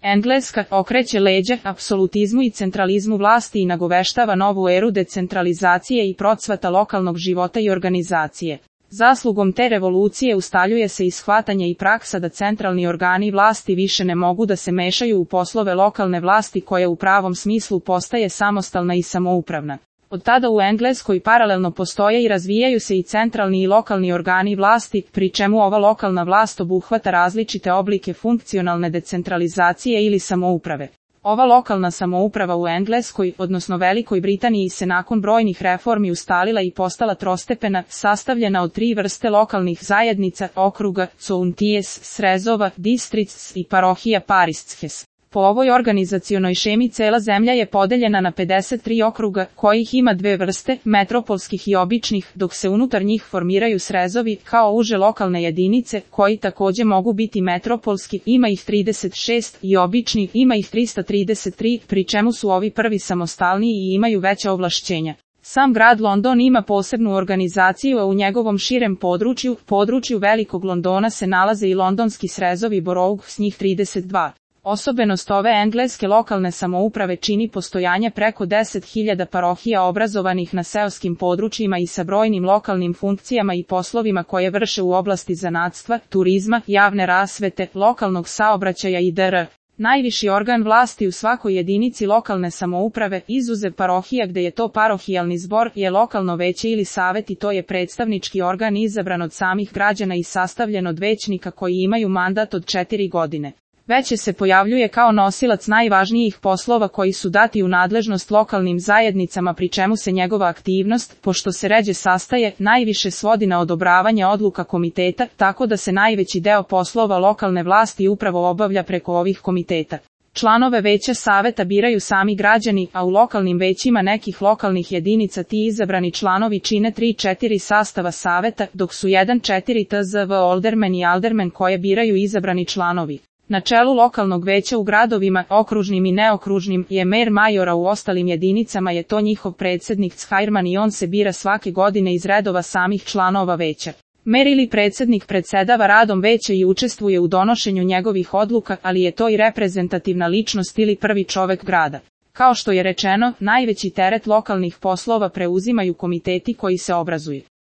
Engleska okreće leđa apsolutizmu i centralizmu vlasti i nagoveštava novu eru decentralizacije i procvata lokalnog života i organizacije. Zaslugom te revolucije ustaljuje se i shvatanje i praksa da centralni organi vlasti više ne mogu da se mešaju u poslove lokalne vlasti koja u pravom smislu postaje samostalna i samoupravna. Od tada u Engleskoj paralelno postoje i razvijaju se i centralni i lokalni organi vlasti, pri čemu ova lokalna vlast obuhvata različite oblike funkcionalne decentralizacije ili samouprave. Ova lokalna samouprava u Engleskoj, odnosno Velikoj Britaniji, se nakon brojnih reformi ustalila i postala trostepena, sastavljena od 3 vrste lokalnih zajednica, okruga, counties, srezova, districts i parohija parishes. Po ovoj organizacionoj šemi cela zemlja je podeljena na 53 okruga, kojih ima 2 vrste, metropolskih i običnih, dok se unutar njih formiraju srezovi, kao uže lokalne jedinice, koji takođe mogu biti metropolski, ima ih 36, i obični, ima ih 333, pri čemu su ovi prvi samostalniji i imaju veća ovlašćenja. Sam grad London ima posebnu organizaciju, a u njegovom širem području Velikog Londona se nalaze i londonski srezovi borough, s njih 32. Osobenost ove engleske lokalne samouprave čini postojanje preko 10.000 parohija obrazovanih na seoskim područjima i sa brojnim lokalnim funkcijama i poslovima koje vrše u oblasti zanatstva, turizma, javne rasvete, lokalnog saobraćaja i dr. Najviši organ vlasti u svakoj jedinici lokalne samouprave, izuzev parohija gde je to parohijalni zbor, je lokalno veće ili savet, i to je predstavnički organ izabran od samih građana i sastavljen od većnika koji imaju mandat od 4 godine. Veće se pojavljuje kao nosilac najvažnijih poslova koji su dati u nadležnost lokalnim zajednicama, pri čemu se njegova aktivnost, pošto se ređe sastaje, najviše svodi na odobravanje odluka komiteta, tako da se najveći deo poslova lokalne vlasti upravo obavlja preko ovih komiteta. Članove veća saveta biraju sami građani, a u lokalnim većima nekih lokalnih jedinica ti izabrani članovi čine 3-4 sastava saveta, dok su 1-4 tzv. Aldermen i aldermen koje biraju izabrani članovi. Na čelu lokalnog veća u gradovima, okružnim i neokružnim, je mer major, a u ostalim jedinicama je to njihov predsjednik chairman i on se bira svake godine iz redova samih članova veća. Mer ili predsjednik predsedava radom veća i učestvuje u donošenju njegovih odluka, ali je to i reprezentativna ličnost ili prvi čovek grada. Kao što je rečeno, najveći teret lokalnih poslova preuzimaju komiteti koji se obrazuju.